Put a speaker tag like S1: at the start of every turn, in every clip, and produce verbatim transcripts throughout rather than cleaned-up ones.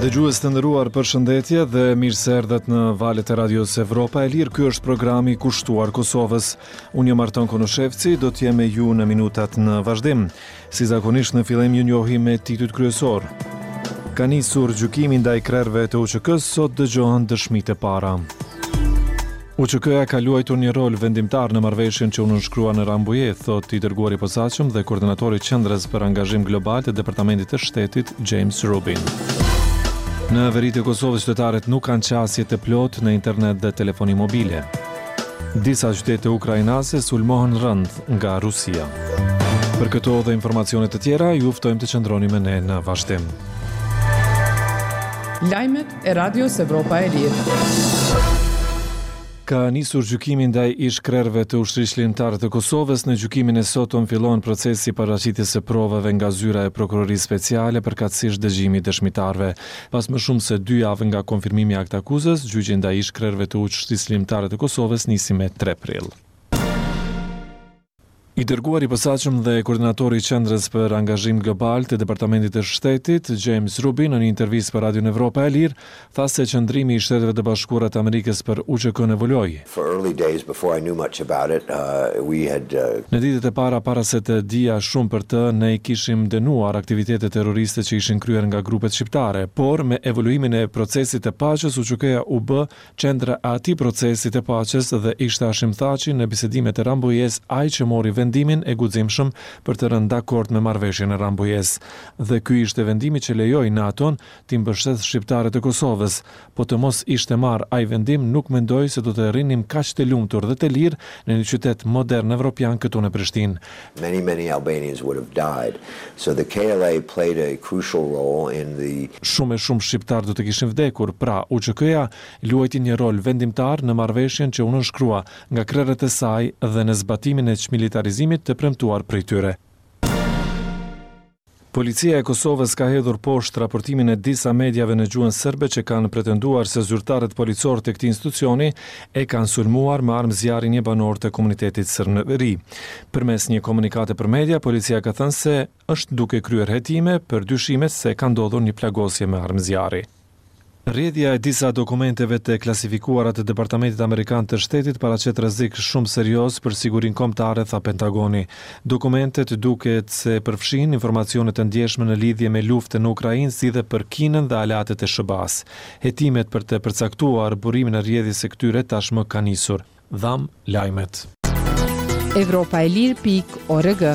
S1: Dëgjues të nderuar, përshëndetje dhe mirë se erdhët në valët e Radios Evropa e Lirë. Ky është programi kushtuar Kosovës. Unë jam Arton Konushevci, do të jem me ju në minutat në vazhdim. Si zakonisht, në fillim ju njohim me titujt kryesor. Ka nisur gjykimi ndaj krerëve të U Ç K-së, sot dëgjohen dëshmitë e para. U Ç K-ja ka luajtur një rol vendimtar në marrëveshjen që u nënshkrua në Rambuje, thot i dërguari i posaçëm dhe koordinatori i Qendrës për Angazhim Global të Departamentit të Shtetit, James Rubin. Në veri të Kosovës qytetarët nuk kanë qasje të plotë në internet dhe telefoni mobile. Disa qytete ukrainase sulmohen rënd nga Rusia. Për këto dhe informacione të tjera, ju ftojmë të qëndroni me ne në vazhdim.
S2: Lajmet e Radios Evropa e Lirë.
S1: Ka nisur gjykimi ndaj ish krerëve të Ushtrisë Çlirimtare të Kosovës. Në gjykimin e sotëm fillon procesi i paraqitjes së provave nga zyra e Prokurorisë Speciale, përkatësisht dëgjimi i dëshmitarëve. Pas më shumë se dy javë nga konfirmimi i aktakuzës, gjyqi ndaj ish krerëve të Ushtrisë Çlirimtare të Kosovës nisi me tre prill. I dërguar i posaçëm dhe koordinatori i Qendrës për Angazhim Global të Departamentit të Shtetit, James Rubin, në një intervistë për Radion Evropa e Lirë, tha se qëndrimi i Shteteve të Bashkuara të Amerikës për U Ç K-në evoluoi.
S3: For early days before I knew much about it, uh, we had uh,
S1: Në ditët e para, para se të dija shumë për të, ne i kishim dënuar aktivitetet terroriste që ishin kryer nga grupet shqiptare, por me evoluimin e procesit të paqes, U Ç K-ja u bë qendra e atij procesi të paqes dhe ishte Hashim Thaçi në bisedimet e Rambujes ai që mori vendimin e guximshëm për të rënë dakord me marrëveshjen e Rambujes. Dhe ky ishte vendimi që lejoi NATO-n t'i mbështet shqiptarët e Kosovës. Po të mos ishte marrë ai vendim, nuk mendoj se do të rrinim kaq të lumtur dhe të lirë në një qytet modern evropian këtu në Prishtinë.
S3: Many, many Albanians would have died. So the K L A played a crucial role in the
S1: Shumë e shumë shqiptarë do të kishin vdekur, pra U Ç K-ja luajti një rol vendimtar në marrëveshjen që u nënshkrua nga krerët e saj dhe në zbatimin e çmilitarizimit të premtuar prej tyre. Policia e Kosovës ka hedhur poshtë raportimin e disa mediave në gjuhën serbe që kanë pretenduar se zyrtarët policor të këtij institucioni e kanë sulmuar me armë zjarri një banor të komunitetit serb në veri. Përmes një komunikate për media, policia ka thënë se është duke kryer hetime për dyshimet se ka ndodhur një plagosje me armë zjarri. Rrjedhja e disa dokumenteve të klasifikuara të Departamentit Amerikan të Shtetit paraqet rrezik shumë serioz për sigurinë kombëtare, tha Pentagoni. Dokumentet duket se përfshin informacione të ndjeshme në lidhje me luftën në Ukrainë, si dhe për Kinën dhe aleatët e S H B A-s. Hetimet për të përcaktuar burimin e rrjedhjes së këtyre tashmë kanë nisur. Dham lajmet.
S2: Evropa e lirë pikë org.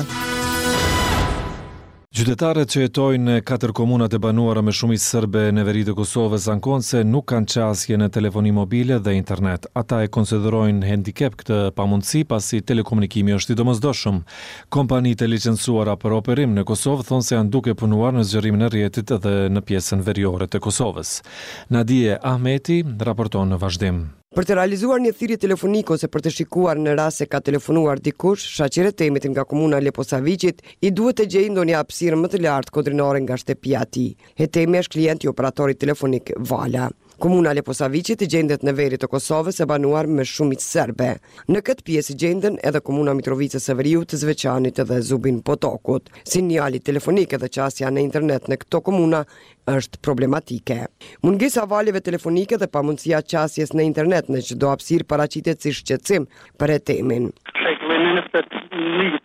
S1: Qytetarët që jetojnë në katër komunat e banuara me shumicë serbe në veri të Kosovës ankohen se nuk kanë qasje në telefoni mobile dhe internet. Ata e konsiderojnë handicap këtë pamundësi, pasi telekomunikimi është i domosdoshëm. Kompanitë e licencuara për operim në Kosovë thonë se janë duke punuar në zgjerimin e rrjetit edhe në pjesën veriore të Kosovës. Nadie Ahmeti raporton në vazhdim.
S4: Për të realizuar një thirrje telefonike ose për të shikuar në rast se ka telefonuar dikush, Shaqir Etemit nga komuna Leposaviqit i duhet të gjejë ndonjë hapësirë më të lartë kodrinore nga shtëpia e tij. Etemi është klient i operatorit telefonik Vala. Komuna Leposaviqit gjendet në veri të Kosovës, e banuar me shumicë serbe. Në këtë pjesë gjenden edhe komuna Mitrovicës së Veriut, të Zveçanit dhe Zubin Potokut. Sinjali telefonik edhe qasja në internet në këto komuna është problematike. Mungesa valeve telefonike dhe pamundësia qasjes në internet në çdo hapësirë paraqitet si shqetësim për Etemin.
S5: Shekullin njëzet e një,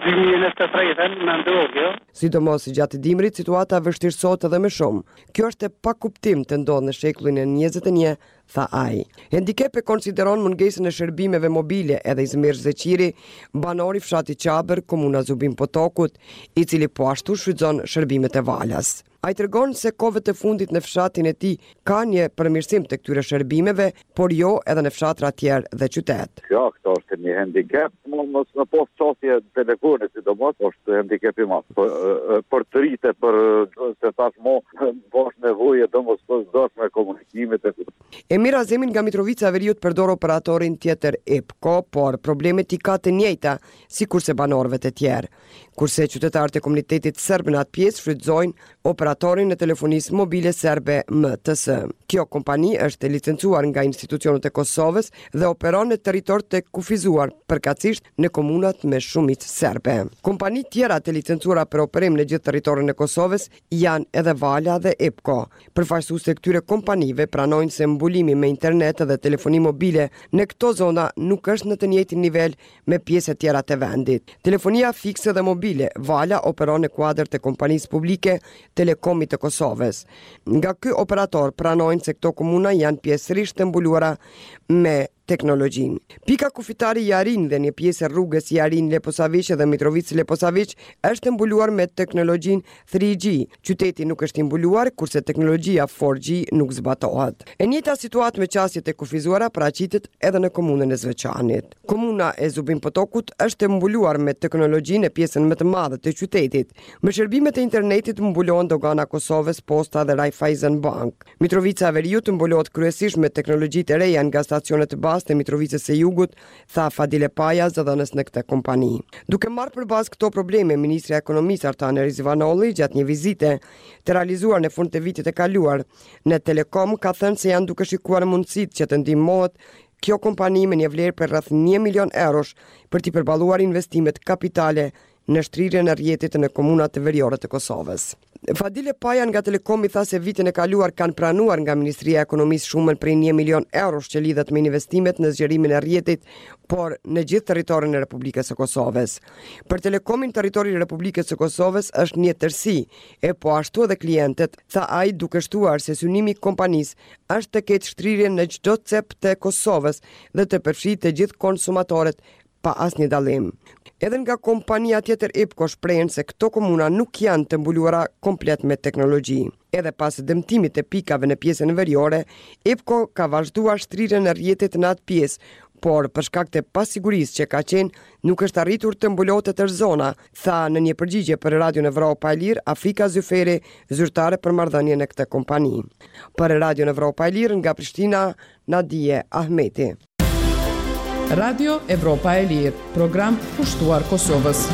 S5: dy mijë e njëzet e tre më ndodh, jo.
S4: Sidomos gjatë dimrit, situata vështirësohet edhe më shumë. Kjo është e pakuptim të ndodhë në shekullin e njëzet e një, tha ai. Handicap e konsideron mungesën e shërbimeve mobile edhe Izmir Zeqiri, banor i fshatit Qabër, komuna Zubin Potokut, i cili po ashtu shfrytëzon shërbimet e Valas. Ai tregon se kohëve të fundit në fshatin e tij ka një përmirësim të këtyre shërbimeve, por jo edhe në fshatra tjerë dhe qytet.
S6: Ja, këto është një handicap, mos me pas qasje telefoni, sidomos, është handicap i madh. Për, për të rritë, për se tash mo po është nevojë domosdoshme komunikimit e
S4: Emir Azemin nga Mitrovica e Veriut përdor operatorin tjetër EPKO, por problemet i ka të njëjta sikurse banorëve të tjerë. Kurse qytetarët e komunitetit serb në atë pjesë shfrytëzojnë operatorin e telefonisë mobile serbe M T S. Kjo kompani është e licencuar nga institucionet e Kosovës dhe operon në territor të kufizuar, përkatësisht në komunat me shumicë serbe. Kompani tjera të licencuara për operim në gjithë territorin e Kosovës janë edhe Vala dhe Epko. Përfaqësuesit e këtyre kompanive pranojnë se mbulimi me internet dhe telefoni mobile në këto zona nuk është në të njëjtin nivel me pjesët tjera të vendit. Telefonia fikse dhe mobile Vala operon në kuadër të kompanisë publike Telekomit të Kosovës. Nga ky operator pranojnë se këto komuna janë pjesërisht të mbuluara me teknologjinë. Pika kufitare Jarin dhe një pjesë e rrugës Jarin Leposaviq dhe Mitrovicë Leposaviq është mbuluar me teknologjinë tre G. Qyteti nuk është i mbuluar, kurse teknologjia katër G nuk zbatohet. E njëjta situatë me qasjet e kufizuara paraqitet edhe në komunën e Zveçanit. Komuna e Zubin Potokut është e mbuluar me teknologjinë e pjesën më të madhe të qytetit. Me shërbimet e internetit mbulohen Dogana Kosovës, Posta dhe Raiffeisen Bank. Mitrovica e Veriut mbulohet kryesisht me teknologjitë e reja nga stacionet bazë të Mitrovicës së Jugut, tha Fadile Paja, zëdhënës në këtë kompani. Duke marrë për bazë këto probleme, Ministri i Ekonomisë Artane Rizvanolli gjatë një vizite të realizuar në fund të vitit të kaluar në Telekom ka thënë se janë duke shikuar mundësitë që të ndihmohet kjo kompani me një vlerë për rreth një milion eurosh për t'i përballuar investimet kapitale në shtrirjen e rrjetit në komunat veriore të Kosovës. Fadile Paja nga Telekomi tha se vitin e kaluar kanë pranuar nga Ministria e Ekonomisë shumën prej një milion eurosh që lidhet me investimet në zgjerimin e rrjetit, por në gjithë territorin e Republikës së Kosovës. Për Telekomin, territori i Republikës së Kosovës është një tërësi, e po ashtu edhe klientët, tha ai, duke shtuar se synimi i kompanisë është të ketë shtrirje në çdo cep të Kosovës dhe të përfshijë të gjithë konsumatorët pa asnjë dallim. Edhe nga kompania tjetër Epko shprehen se këto komuna nuk janë të mbuluara komplet me teknologji. Edhe pas dëmtimit të pikave në pjesën veriore, Epko ka vazhduar shtrirjen e rrjetit në atë pjesë, por për shkak të pasigurisë që ka qenë, nuk është arritur të mbulohet e tërë zona, tha në një përgjigje për Radion Evropa e Lirë Afrika Zyferi, zyrtare për marrëdhënie në këtë kompani. Për Radion Evropa e Lirë nga Prishtina, Nadie Ahmeti.
S2: Radio Evropa e Lirë, program kushtuar Kosovës.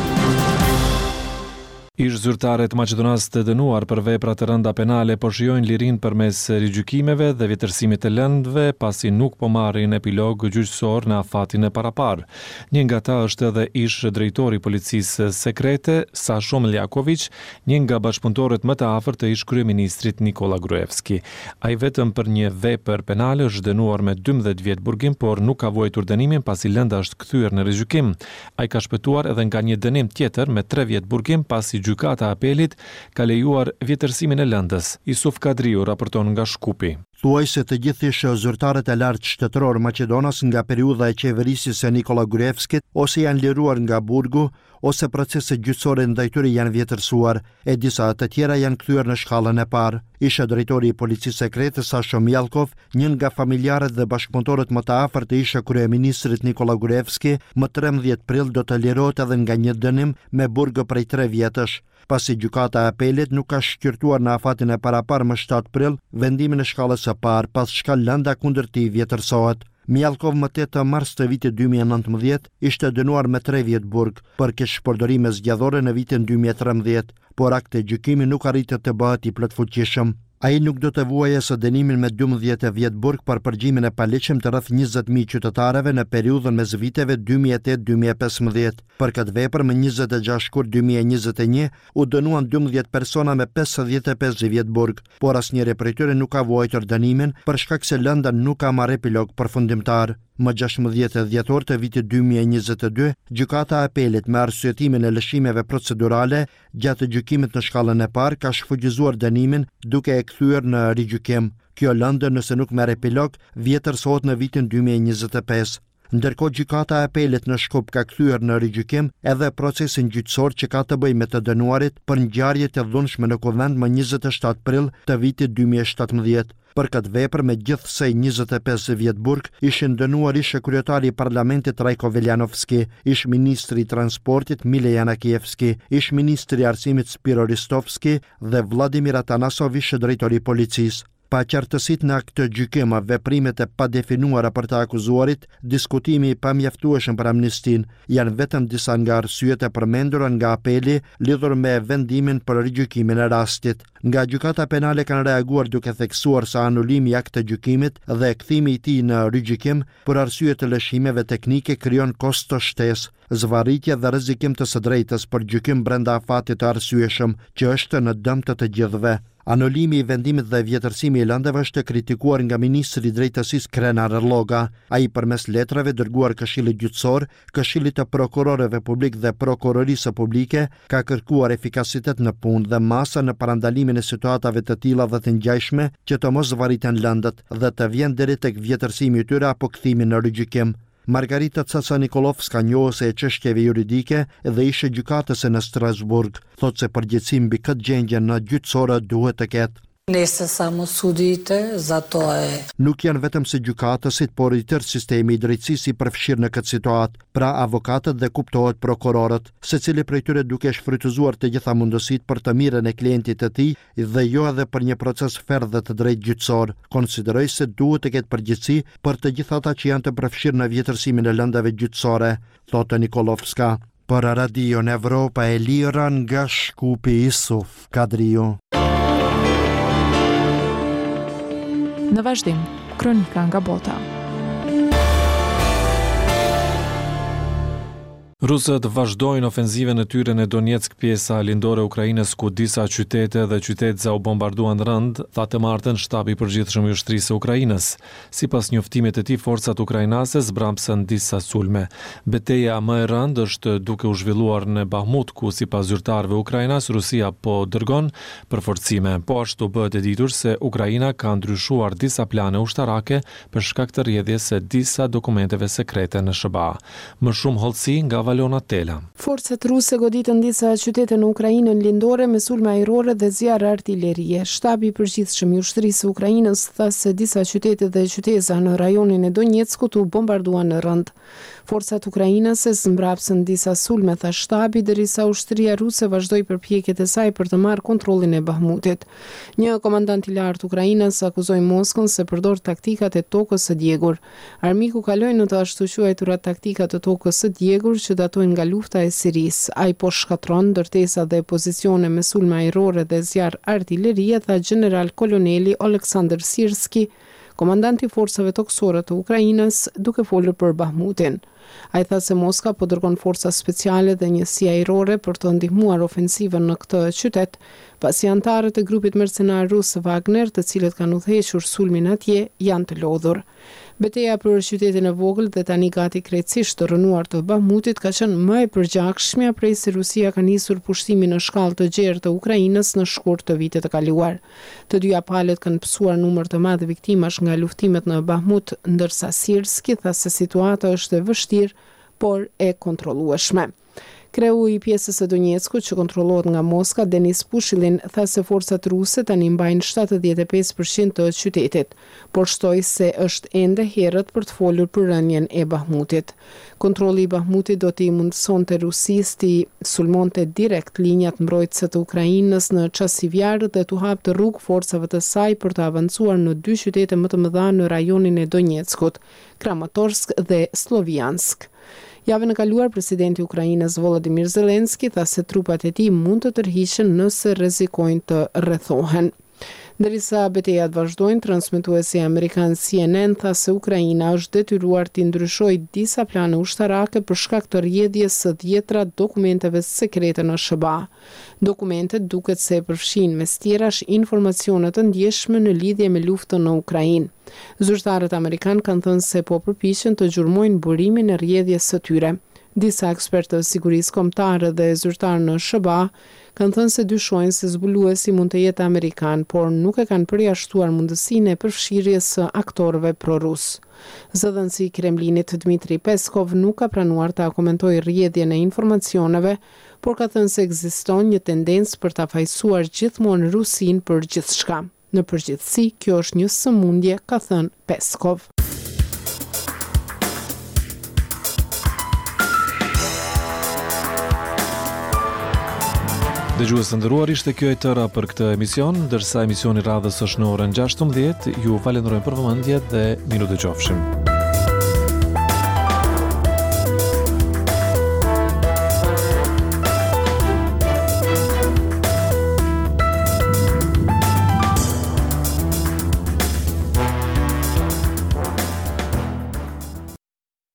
S1: Ish zyrtarët maqedonas të dënuar për vepra të rënda penale po shijojnë lirinë përmes rigjykimeve dhe vjetërsimit të lëndëve, pasi nuk po marrin epilog gjyqësor në afatin e parapar. Një nga ta është edhe ish drejtori i policisë sekrete, Sasho Miljković, një nga bashkëpunëtorët më të afërt të ish kryeministrit Nikola Gruevski. Ai vetëm për një vepër penale është dënuar me dymbëdhjetë vjet burgim, por nuk ka vuajtur dënimin pasi lënda është kthyer në rigjykim. Ai ka shpëtuar edhe nga një dënim tjetër me tre vjet burgim, pasi gjykata e apelit ka lejuar vjetërsimin e lëndës. Isuf Kadriu raporton nga Shkupi.
S7: Thuaj se të gjithë ish zyrtarët e lartë shtetëror maqedonas nga periudha e qeverisjes së Nikola Gruevskit ose janë liruar nga burgu, ose proceset gjyqësore ndaj tyre janë vjetërsuar, e disa të tjera janë kthyer në shkallën e parë. Isha drejtori i policisë sekrete Sasho Mijalkov, një nga familjarët dhe bashkëpunëtorët më të afërt të isha kryeministrit Nikola Gruevski, më trembëdhjetë prill do të lirohet edhe nga një dënim me burg prej tre vjetësh, pasi gjykata e apelit nuk ka shqyrtuar në afatin e parapar më shtatë prill vendimin e shkallës së parë, pas çka lënda kundër tij vjetërsohet. Mijalkov më tetë mars të vitit dy mijë e nëntëmbëdhjetë ishte dënuar me tre vjet burg për keqpërdorime zgjedhore në vitin dy mijë e trembëdhjetë, por akti i gjykimit nuk arriti të bëhet i plotfuqishëm. Ai nuk do të vuajë së dënimin me dymbëdhjetë vjet burg për përgjimin e paligjshëm të rreth njëzet mijë qytetarëve në periudhën mes viteve dy mijë e tetë dy mijë e pesëmbëdhjetë. Për këtë vepër më njëzet e gjashtë shkurt dy mijë e njëzet e një u dënuan dymbëdhjetë persona me pesëdhjetë e pesë vjet burg, por asnjëri prej tyre nuk ka vuajtur dënimin për shkak se lënda nuk ka marrë epilog përfundimtar. Më gjashtëmbëdhjetë dhjetor të vitit dy mijë e njëzet e dy, gjykata e apelit me arsyetimin e lëshimeve procedurale gjatë gjykimit në shkallën e parë ka shfuqizuar dënimin duke e kthyer në rigjykim. Kjo lëndë, nëse nuk merr epilog, vjetërsohet në vitin dy mijë e njëzet e pesë. Ndërkohë, gjykata e apelit në Shkup ka kthyer në rigjykim edhe procesin gjyqësor që ka të bëjë me të dënuarit për ngjarjet e dhunshme në Kuvend më njëzet e shtatë prill të vitit dy mijë e shtatëmbëdhjetë. Për këtë vepër me gjithsej njëzet e pesë vjet burg ishin dënuar ish kryetari i parlamentit Rajko Veljanovski, ish ministri i transportit Mile Janakievski, ish ministri i arsimit Spiro Ristovski dhe Vladimir Atanasov, ish drejtori i policisë. Paqartësitë në aktgjykim, veprimet e padefinuara për të akuzuarit, diskutimi i pamjaftueshëm për amnistinë, janë vetëm disa nga arsyet e përmendura nga apeli lidhur me vendimin për rigjykimin e rastit. Nga Gjykata Penale kanë reaguar duke theksuar se anulimi i aktgjykimit dhe kthimi i tij në rigjykim për arsye të lëshimeve teknike krijon kosto shtesë, zvarritje dhe rrezikim të së drejtës për gjykim brenda afatit të arsyeshëm, që është në dëm të të gjithëve. Anulimi i vendimit dhe vjetërsimi i lëndëve është kritikuar nga ministri i Drejtësisë Krenar Lloga. Ai përmes letrave dërguar Këshillit Gjyqësor, Këshillit të Prokurorëve Publik dhe Prokurorisë Publike ka kërkuar efikasitet në punë dhe masa në parandalimin e situatave të tilla dhe të ngjashme që të mos zvarriten lëndët dhe të vjen deri tek vjetërsimi i tyre apo kthimi në rigjykim. Margarita Caca Nikolovska, njohëse e çështjeve juridike dhe ishe gjykatëse në Strasburg, thotë se përgjegjësi mbi këtë gjendje në gjyqësore duhet të ketë.
S8: Ne se samo sudite, zato e...
S7: Nuk janë vetëm se gjykatësit, por i tërë sistemi i drejtësisë i përfshirë në këtë situatë, pra avokatët dhe kuptohet prokurorët, secili prej tyre duke shfrytëzuar të gjitha mundësitë për të mirën e klientit të tij dhe jo edhe për një proces fer dhe të drejtë gjyqësor. Konsideroj se duhet të ketë përgjegjësi për të gjithë ata që janë të përfshirë në vjetërsimin e lëndave gjyqësore, thotë Nikolovska. Për Radion Evropa e Lira nga Shkupi, Isuf Kadriu.
S2: Në vazhdim, kronika nga bota.
S1: Rusët vazhdojnë ofenzivën e tyre në Donetsk, pjesa lindore e Ukrainës, ku disa qytete dhe qytetza u bombarduan rënd, tha të martën shtabi i përgjithshëm i ushtrisë së Ukrainës. Sipas njoftimit të tij, forcat ukrainase zbrapsën disa sulme. Beteja më e rëndë është duke u zhvilluar në Bahmut, ku sipas zyrtarëve ukrainas Rusia po dërgon përforcime. Po ashtu bëhet e ditur se Ukraina ka ndryshuar disa plane ushtarake për shkak të rrjedhjes së disa dokumenteve sekrete në S H B A. Më shumë hollësi nga Valona Tela.
S9: Forcat ruse goditën disa qytete në Ukrainën lindore me sulme ajrore dhe zjarr artilerie. Shtabi i përgjithshëm i ushtrisë së Ukrainës tha se disa qytete dhe qyteza në rajonin e Donetskut u bombarduan në rënd. Forcat ukrainase zmbrapsën disa sulme, tha shtabi, derisa ushtria ruse vazhdoi përpjekjet e saj për të marrë kontrollin e Bahmutit. Një komandant i lartë ukrainas akuzoi Moskën se përdor taktikat e tokës së djegur. Armiku kaloi në të ashtuquajturat taktika të tokës së djegur që datojnë nga lufta e Sirisë. Ai po shkatron ndërtesa dhe pozicione me sulme ajrore dhe zjarr artilerie, tha gjeneral koloneli Oleksandr Sirski, komandanti i forcave tokësore të Ukrainës, duke folur për Bahmutin. Ai tha se Moska po dërgon forca speciale dhe njësi ajrore për të ndihmuar ofensivën në këtë qytet, pasi anëtarët e grupit mercenar rus Wagner, të cilët kanë udhëhequr sulmin atje, janë të lodhur. Beteja për qytetin e vogël dhe tani gati krejtësisht të rrënuar të Bahmutit ka qenë më e përgjakshmja prej se Rusia ka nisur pushtimin në shkallë të gjerë të Ukrainës në shkurt të vitit të kaluar. Të dyja palët kanë pësuar numër të madh viktimash nga luftimet në Bahmut, ndërsa Sirski tha se situata është e vështirë, por e kontrollueshme. Kreu i pjesës së Donetskut që kontrollohet nga Moska, Denis Pushilin, tha se forcat ruse tani mbajnë shtatëdhjetë e pesë përqind të qytetit, por shtoi se është ende herët për të folur për rënien e Bahmutit. Kontrolli i Bahmutit do t'i mundësonte Rusisë t'i sulmonte direkt linjat mbrojtëse të Ukrainës në Çasivjar dhe t'u hapte rrugë forcave të saj për të avancuar në dy qytete më të mëdha në rajonin e Donetskut, Kramatorsk dhe Sloviansk. Javën e kaluar, presidenti ukrainas Volodymyr Zelensky tha se trupat e tij mund të tërhiqen nëse rrezikojnë të rrethohen. Derisa betejat vazhdojnë, transmetuesi amerikan C N N tha se Ukraina është detyruar t'i ndryshojë disa plane ushtarake për shkak të rrjedhjes së dhjetra dokumenteve sekrete në S H B A. Dokumentet duket se përfshin mes tjerash informacione të ndjeshme në lidhje me luftën në Ukrainë. Zyrtarët amerikan kanë thënë se po përpiqen të gjurmojnë burimin e rrjedhjes së tyre. Disa ekspertë të sigurisë kombëtare dhe zyrtarë në S H B A kanë thënë se dyshojnë se zbuluesi mund të jetë amerikan, por nuk e kanë përjashtuar mundësinë e përfshirjes së aktorëve pro-rus. Zëdhënësi i Kremlinit Dmitri Peskov nuk ka pranuar ta komentojë rrjedhjen e informacioneve, por ka thënë se ekziston një tendencë për ta fajësuar gjithmonë Rusinë për gjithçka. Në përgjithësi, kjo është një sëmundje, ka thënë Peskov.
S1: Dëgjues të nderuar, ishte kjo e tëra për këtë emision, ndërsa emisioni radhës është në orën gjashtëmbëdhjetë. Ju falenderojmë për vëmendje dhe mirudëgjofshim.